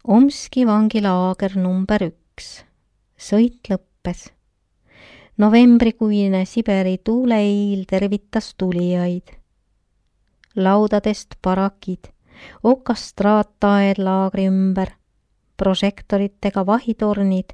Omski vangilaager number 1. Sõit lõppes. Novembrikuine Siberi tuuleiil tervitas tulijaid. Laudadest parakid, okastraattaed laagri ümber, prožektoritega vahitornid,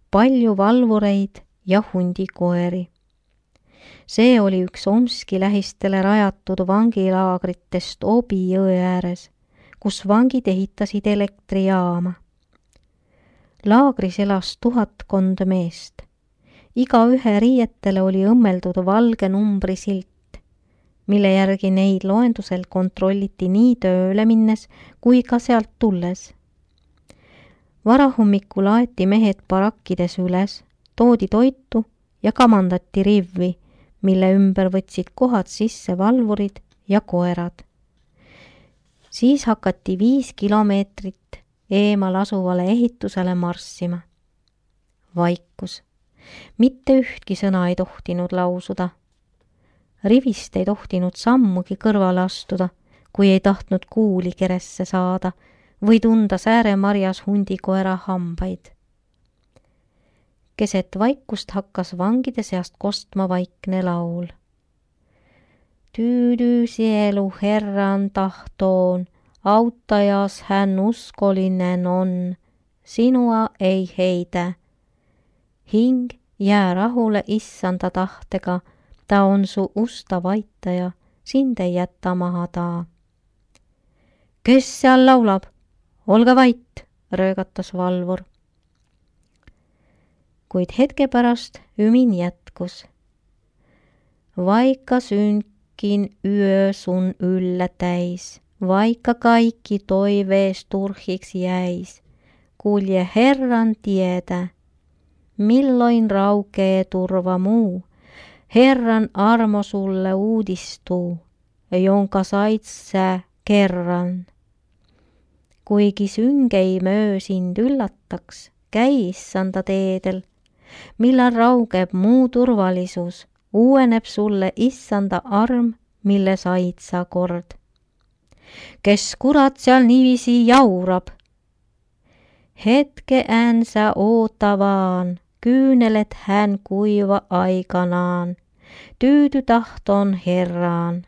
palju valvureid ja hundikoeri. See oli üks Omski lähistele rajatud vangilaagritest Obi jõe ääres, kus vangid ehitasid elektrijaama. Laagris elas 1000 meest. Igaühe riietele oli õmmeldud valge numbrisilt, mille järgi neid loendusel kontrolliti nii tööle minnes kui ka sealt tulles. Varahommikul aeti mehed barakkides üles, toodi toitu ja kamandati rivvi, mille ümber võtsid kohad sisse valvurid ja koerad. Siis hakati 5 kilomeetrit eemal asuvale ehitusele marssima. Vaikus. Mitte ühtki sõna ei tohtinud lausuda. Rivist ei tohtinud sammugi kõrvale astuda, kui ei tahtnud kuuli keresse saada või tunda sääremarjas hundikoera hambaid. Keset vaikust hakkas vangide seast kostma vaikne laul. Tyydy sielu Herran tahtoon, auttajas hän uskolinen on, sinua ei heitä. Hing jää rahule issanda tahtega, ta on su usta vaitaja, sind ei jätta maha taa. Kes seal laulab? Olge vait, röögatas valvur. Kuid hetke pärast ümin jätkus. Vaikka synkin yö sun yllä täis, vaikka kaikki toivees turhiksi jäis, kulje Herran tietä, milloin raukee turva muu, Herran armo sulle uudistuu, jonka sait sä kerran. Kuigi synkei möö sind üllataks, käi issanda teedel, millal raugeb muu turvalisus, uueneb sulle issanda arm, mille said sa kord. Kes kurat seal niivisi jaurab? Hetke äänsä ootavaan, kyynelet hän kuiva aikanaan, tyydy tahton Herraan.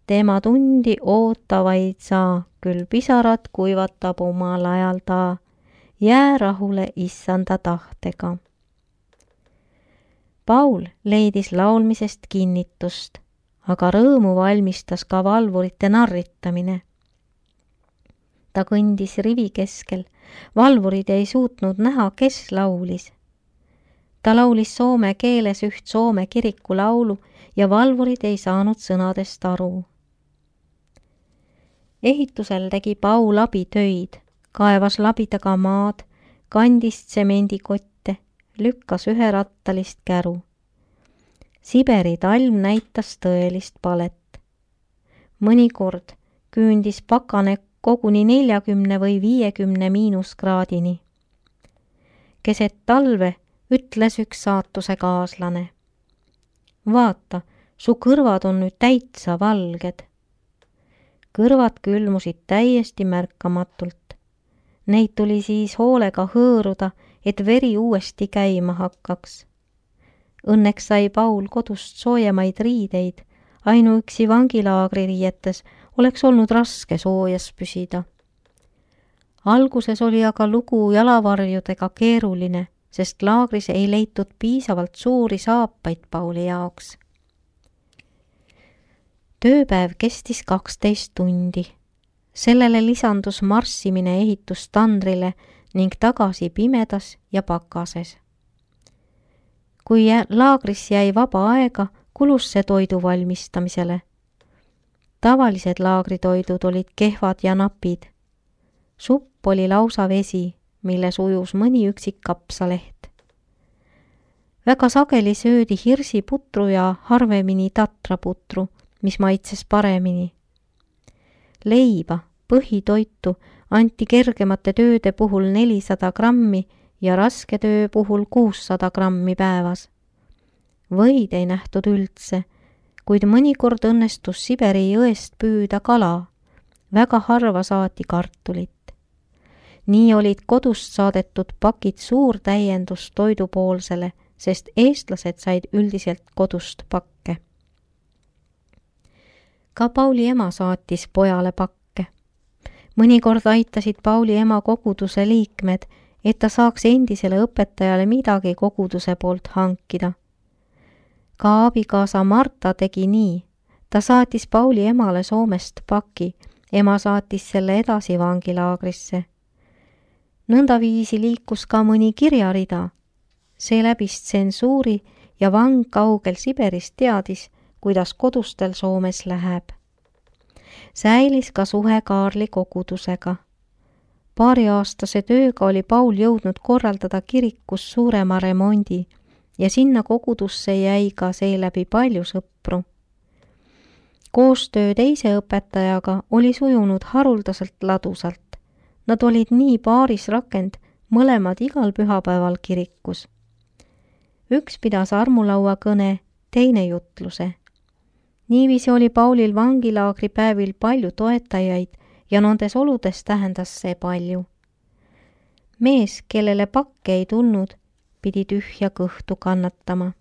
Tema tundi ootavaid saa, küll pisarat kuivatab omal ajalta, jää rahule issanda tahtega. Paul leidis laulmisest kinnitust, aga rõõmu valmistas ka valvurite narritamine. Ta kõndis rivi keskel, valvurid ei suutnud näha, kes laulis. Ta laulis soome keeles üht Soome kiriku laulu ja valvurid ei saanud sõnadest aru. Ehitusel tegi Paul abitöid, kaevas labidaga maad, kandis tsemendikotte, lükkas üherattalist käru. Siberi talv näitas tõelist palet. Mõnikord küündis pakane koguni 40 või 50 miinuskraadini. Keset talve ütles üks saatuse kaaslane. Vaata, su kõrvad on nüüd täitsa valged. Kõrvad külmusid täiesti märkamatult. Neid tuli siis hoolega hõõruda, et veri uuesti käima hakkaks. Õnneks sai Paul kodust soojemaid riideid, ainuüksi vangilaagri riietes oleks olnud raske soojas püsida. Alguses oli aga lugu jalavarjudega keeruline, sest laagris ei leitud piisavalt suuri saapaid Pauli jaoks. Tööpäev kestis 12 tundi. Sellele lisandus marssimine ehitustandrile ning tagasi pimedas ja pakases. Kui laagris jäi vaba aega, kulus see toidu valmistamisele. Tavalised laagritoidud olid kehvad ja napid. Supp oli lausa vesi, milles ujus mõni üksik kapsaleht. Väga sageli söödi hirsiputru ja harvemini tatraputru, mis maitses paremini. Leiba, põhitoitu, anti kergemate tööde puhul 400 grammi ja raske töö puhul 600 grammi päevas. Võid ei nähtud üldse, kuid mõnikord õnnestus Siberi jõest püüda kala. Väga harva saati kartulit. Nii olid kodust saadetud pakid suur täiendus toidupoolsele, sest eestlased said üldiselt kodust pakke. Ka Pauli ema saatis pojale pakke. Mõnikord aitasid Pauli ema koguduse liikmed, et ta saaks endisele õpetajale midagi koguduse poolt hankida. Ka abikaasa Marta tegi nii. Ta saatis Pauli emale Soomest paki. Ema saatis selle edasi vangilaagrisse. Nõndaviisi liikus ka mõni kirjarida. See läbis tsensuuri ja vang kaugel Siberis teadis, kuidas kodustel Soomes läheb. Säilis ka suhe Kaarli kogudusega. Paariaastase tööga oli Paul jõudnud korraldada kirikus suurema remondi ja sinna kogudusse jäi ka seeläbi palju sõpru. Koostöö teise õpetajaga oli sujunud haruldaselt ladusalt. Nad olid nii paaris rakend, mõlemad igal pühapäeval kirikus. Üks pidas armulaua kõne, teine jutluse. Niiviisi oli Paulil vangilaagri päevil palju toetajaid ja nendes oludes tähendas see palju. Mees, kellele pakke ei tulnud, pidi tühja kõhtu kannatama.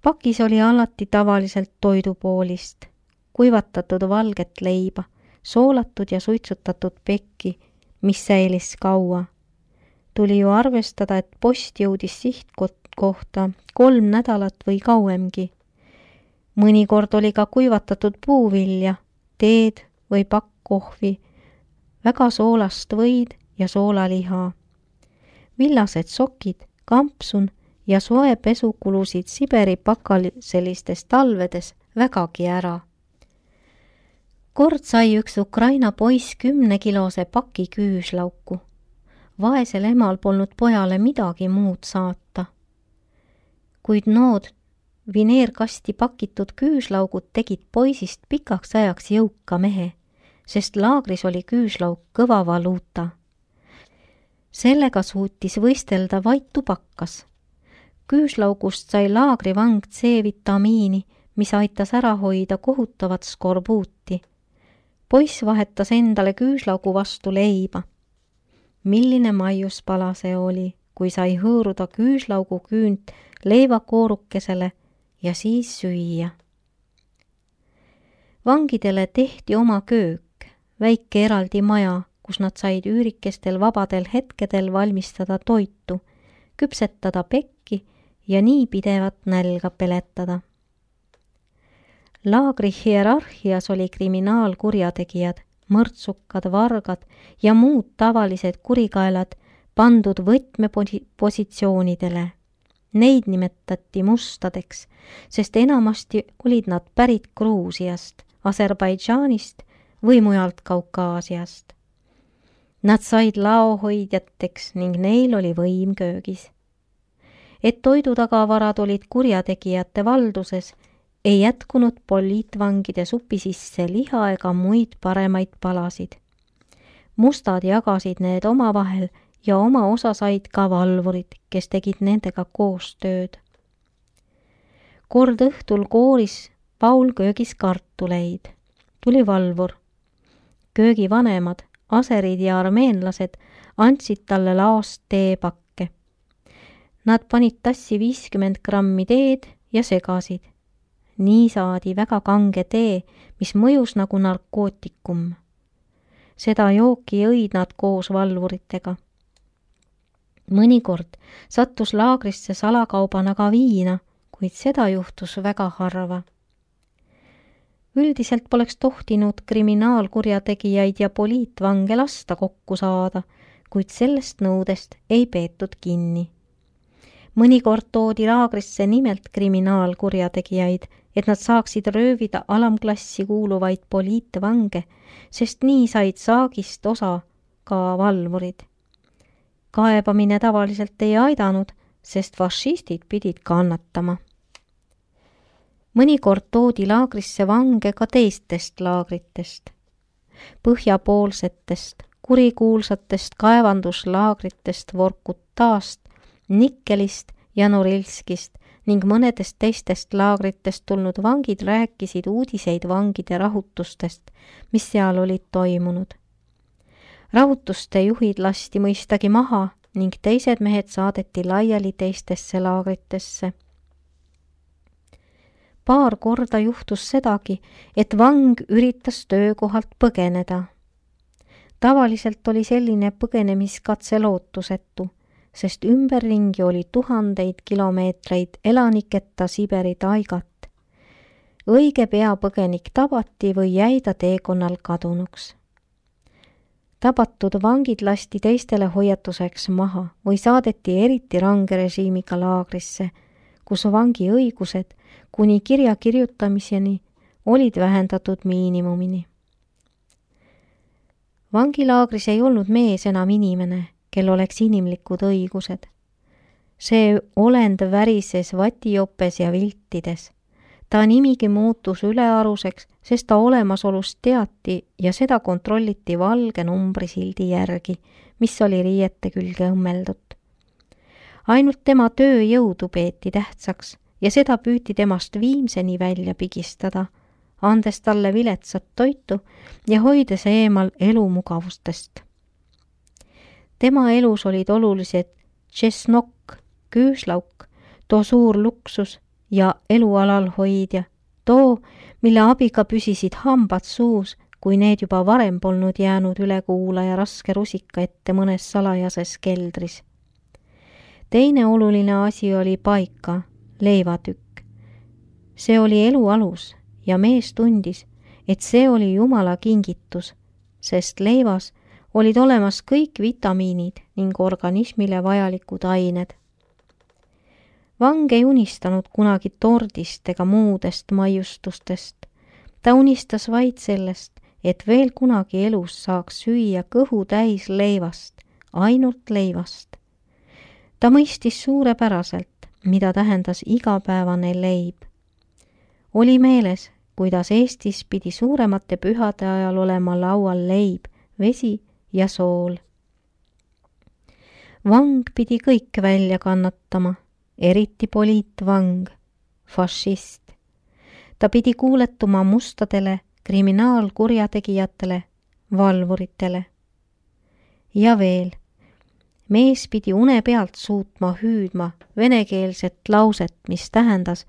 Pakis oli alati tavaliselt toidupoolist, kuivatatud valget leiba, soolatud ja suitsutatud pekki, mis säilis kaua. Tuli ju arvestada, et post jõudis sihtkohta 3 nädalat või kauemgi. Mõnikord oli ka kuivatatud puuvilja, teed või pakk kohvi, väga soolast võid ja soolaliha. Villased sokid, kampsun ja soe pesu kulusid Siberi pakaliselistes talvedes vägagi ära. Kord sai üks Ukraina poiss 10-kilose paki küüslauku. Vaesel emal polnud pojale midagi muud saata. Kuid nood vineerkasti pakitud küüslaugud tegid poisist pikaks ajaks jõuka mehe, sest laagris oli küüslauk kõva valuuta. Sellega suutis võistelda vaid tubakas. Küüslaugust sai laagrivang C-vitamiini, mis aitas ära hoida kohutavat skorbuuti. Poiss vahetas endale küüslaugu vastu leiba. Milline maiuspala see oli, kui sai hõõruda küüslaugu küünt leivakoorukesele ja siis süüa. Vangidele tehti oma köök, väike eraldi maja, kus nad said üürikestel vabadel hetkedel valmistada toitu, küpsetada pekki ja nii pidevat nälga peletada. Laagri hierarhias oli kriminaalkurjategijad, mõrtsukad, vargad ja muud tavalised kurikaelad pandud võtmepositsioonidele. Neid nimetati mustadeks, sest enamasti olid nad pärit Gruusiast, Aserbaidžaanist või mujalt Kaukaasiast. Nad said laohoidjateks ning neil oli võim köögis. Et toidutagavarad olid kurjategijate valduses, ei jätkunud poliitvangide supi sisse liha ega muid paremaid palasid. Mustad jagasid need omavahel ja oma osa said ka valvurid, kes tegid nendega koostööd. Kord õhtul kooris Paul köögis kartuleid. Tuli valvur. Köögi vanemad, aserid ja armeenlased andsid talle laost teepakke. Nad panid tassi 50 grammi teed ja segasid. Nii saadi väga kange tee, mis mõjus nagu narkootikum. Seda jooki jõid nad koos valvuritega. Mõnikord sattus laagrisse salakaubana ka viina, kuid seda juhtus väga harva. Üldiselt poleks tohtinud kriminaalkurjategijaid ja poliitvange lasta kokku saada, kuid sellest nõudest ei peetud kinni. Mõnikord toodi laagrisse nimelt kriminaalkurjategijaid, et nad saaksid röövida alamklassi kuuluvaid poliitvange, sest nii said saagist osa ka valvurid. Kaebamine tavaliselt ei aidanud, sest fašistid pidid kannatama. Mõnikord toodi laagrisse vange ka teistest laagritest, põhjapoolsetest, kurikuulsatest kaevanduslaagritest Vorkutast, Nikkelist ja Norilskist ning mõnedest teistest laagritest tulnud vangid rääkisid uudiseid vangide rahutustest, mis seal olid toimunud. Rahutuste juhid lasti mõistagi maha ning teised mehed saadeti laiali teistesse laagritesse. Paar korda juhtus sedagi, et vang üritas töökohalt põgeneda. Tavaliselt oli selline põgenemiskatse lootusetu, sest ümberringi oli tuhandeid kilomeetreid elaniketa Siberi taigat. Õige pea põgenik tabati või jäi ta teekonnal kadunuks. Tabatud vangid lasti teistele hoiatuseks maha või saadeti eriti range režiimiga laagrisse, kus vangi õigused kuni kirja kirjutamiseni olid vähendatud miinimumini. Vangilaagris ei olnud mees enam inimene, kel oleks inimlikud õigused. See olend värises vatijopes ja viltides. Ta nimigi muutus ülearuseks, sest ta olemasolust teati ja seda kontrolliti valge numbrisildi järgi, mis oli riiete külge õmmeldud. Ainult tema tööjõudu peeti tähtsaks ja seda püüti temast viimseni välja pigistada, andes talle viletsat toitu ja hoides eemal elumugavustest. Tema elus olid olulised tšesnokk, küüslauk, too suur luksus ja elualal hoidja, too, mille abiga püsisid hambad suus, kui need juba varem polnud jäänud ülekuulaja raske rusika ette mõnes salajases keldris. Teine oluline asi oli paika, leivatükk. See oli elu alus ja mees tundis, et see oli Jumala kingitus, sest leivas olid olemas kõik vitamiinid ning organismile vajalikud ained. Vang ei unistanud kunagi tordist ega muudest maiustustest. Ta unistas vaid sellest, et veel kunagi elus saaks süüa kõhu täis leivast, ainult leivast. Ta mõistis suurepäraselt, mida tähendas igapäevane leib. Oli meeles, kuidas Eestis pidi suuremate pühade ajal olema laual leib, vesi ja sool. Vang pidi kõik välja kannatama, eriti poliitvang, fašist. Ta pidi kuuletuma mustadele, kriminaalkurjategijatele, valvuritele. Ja veel, mees pidi une pealt suutma hüüdma venekeelset lauset, mis tähendas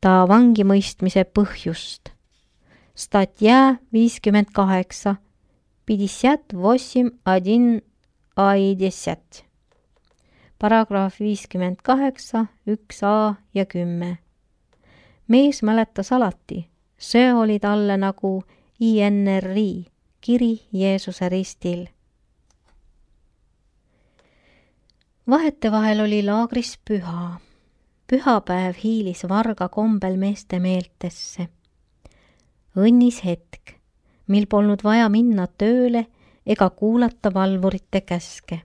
ta vangimõistmise põhjust. Statja 58, 58.1.10. Paragrahv 58, 1a ja 10. Mees mäletas alati, see oli talle nagu INRI, kiri Jeesuse ristil. Vahetevahel oli laagris püha. Pühapäev hiilis varga kombel meeste meeltesse. Õnnis hetk, mil polnud vaja minna tööle ega kuulata valvurite käske.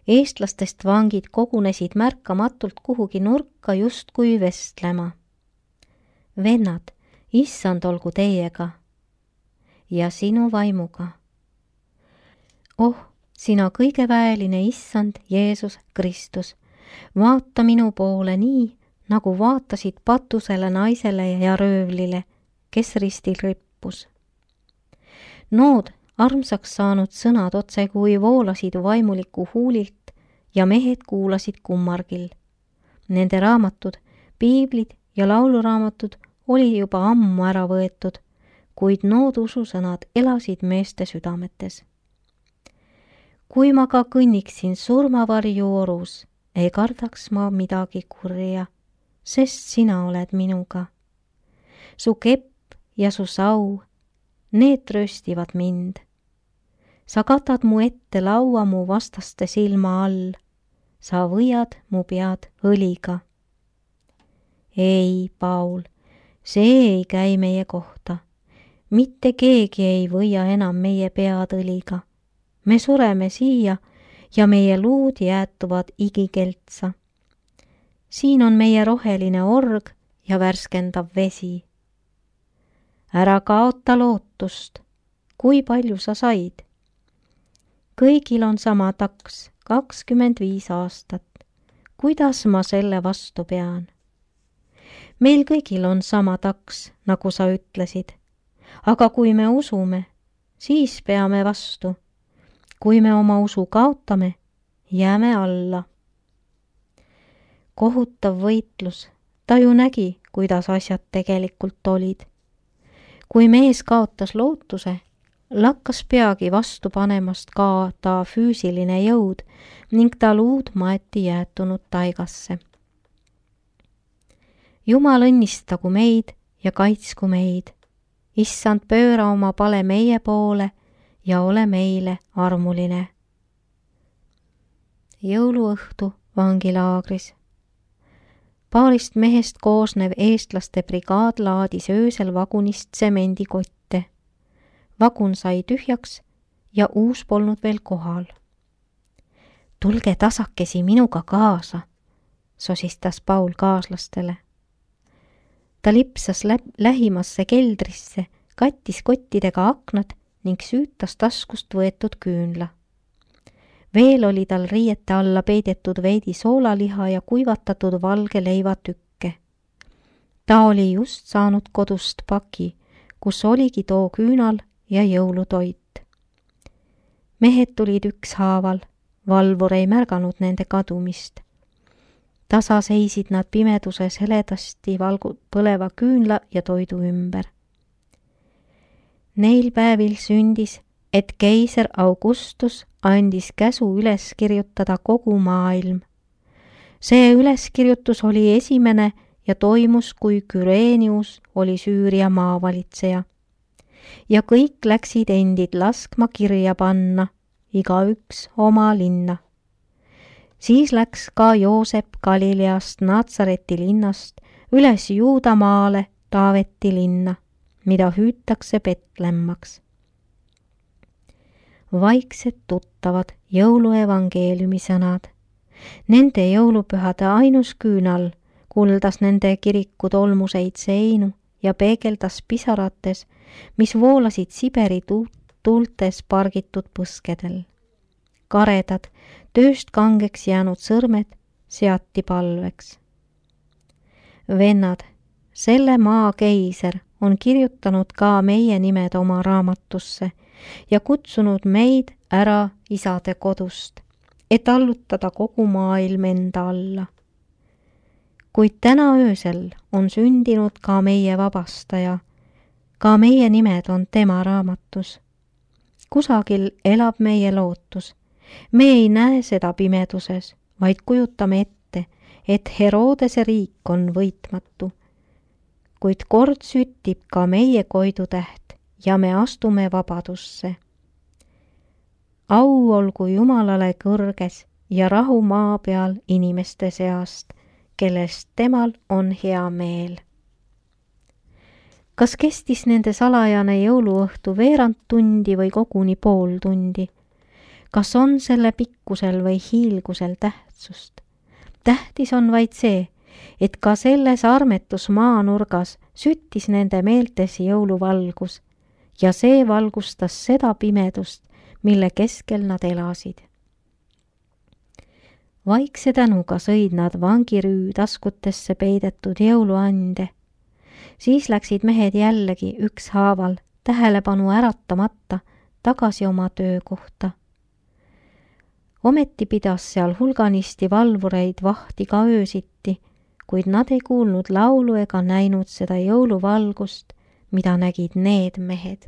Eestlastest vangid kogunesid märkamatult kuhugi nurka justkui vestlema. Vennad, issand olgu teiega ja sinu vaimuga. Oh, sina kõigeväeline issand Jeesus Kristus, vaata minu poole nii, nagu vaatasid patusele naisele ja röövlile, kes ristil rippus. Nood armsaks saanud sõnad otse kui voolasid vaimuliku huulilt ja mehed kuulasid kummargil. Nende raamatud, piiblid ja lauluraamatud oli juba ammu ära võetud, kuid nood ususõnad elasid meeste südametes. Kui ma ka kõnniksin surmavarju orus, ei kardaks ma midagi kurja, sest sina oled minuga. Su kepp ja su sau, need trööstivad mind. Sa katad mu ette laua mu vastaste silma all. Sa võiad mu pead õliga. Ei, Paul, see ei käi meie kohta. Mitte keegi ei võia enam meie pead õliga. Me sureme siia ja meie luud jäätuvad igikeltsa. Siin on meie roheline org ja värskendav vesi. Ära kaota lootust, kui palju sa said. Kõigil on sama taks, 25 aastat. Kuidas ma selle vastu pean? Meil kõigil on sama taks, nagu sa ütlesid. Aga kui me usume, siis peame vastu. Kui me oma usu kaotame, jääme alla. Kohutav võitlus, ta ju nägi, kuidas asjad tegelikult olid. Kui mees kaotas lootuse, lakkas peagi vastu panemast ka ta füüsiline jõud ning ta luud maeti jäetunud taigasse. Jumal õnnistagu meid ja kaitsku meid. Issand, pööra oma pale meie poole ja ole meile armuline. Jõuluõhtu vangilaagris. Paarist mehest koosnev eestlaste brigaad laadis öösel vagunist tsemendikotte. Vagun sai tühjaks ja uus polnud veel kohal. Tulge tasakesi minuga kaasa, sosistas Paul kaaslastele. Ta lipsas lähimasse keldrisse, kattis kottidega aknad ning süütas taskust võetud küünla. Veel oli tal riiete alla peidetud veidi soolaliha ja kuivatatud valge leivatükke. Ta oli just saanud kodust paki, kus oligi too küünal ja jõulutoit. Mehed tulid ükshaaval, valvur ei märganud nende kadumist. Tasa seisid nad pimeduses heledasti põleva küünla ja toidu ümber. Neil päevil sündis, et keiser Augustus andis käsu üles kirjutada kogu maailm. See üleskirjutus oli esimene ja toimus, kui Kyrenius oli Süüria maavalitseja. Ja kõik läksid endid laskma kirja panna, igaüks oma linna. Siis läks ka Joosep Galileast Natsareti linnast üles Juudamaale Taaveti linna, mida hüütakse Betlemmaks. Vaiksed tuttavad jõuluevangeeliumi sõnad. Nende jõulupühade ainus küünal kuldas nende kiriku tolmuseid seinu ja peegeldas pisarates, mis voolasid Siberi tuultes pargitud põskedel. Karedad, tööst kangeks jäänud sõrmed seati palveks. Vennad, selle maa keiser on kirjutanud ka meie nimed oma raamatusse ja kutsunud meid ära isade kodust, et allutada kogu maailm enda alla. Kuid täna öösel on sündinud ka meie vabastaja, ka meie nimed on tema raamatus. Kusagil elab meie lootus. Me ei näe seda pimeduses, vaid kujutame ette, et Herodese riik on võitmatu. Kuid kord süttib ka meie koidutäht ja me astume vabadusse. Au olgu Jumalale kõrges ja rahu maa peal inimeste seast, kellest temal on hea meel. Kas kestis nende salajane jõuluõhtu veerand tundi või koguni pool tundi? Kas on selle pikkusel või hiilgusel tähtsust? Tähtis on vaid see, et ka selles armetus maanurgas süttis nende meeltes jõuluvalgus ja see valgustas seda pimedust, mille keskel nad elasid. Vaikse tänuga sõid nad vangirüü taskutesse peidetud jõuluande. Siis läksid mehed jällegi ükshaaval tähelepanu äratamata tagasi oma töökohta. Ometi pidas seal hulganisti valvureid vahti ka öösiti, kuid nad ei kuulnud laulu ega näinud seda jõuluvalgust, mida nägid need mehed.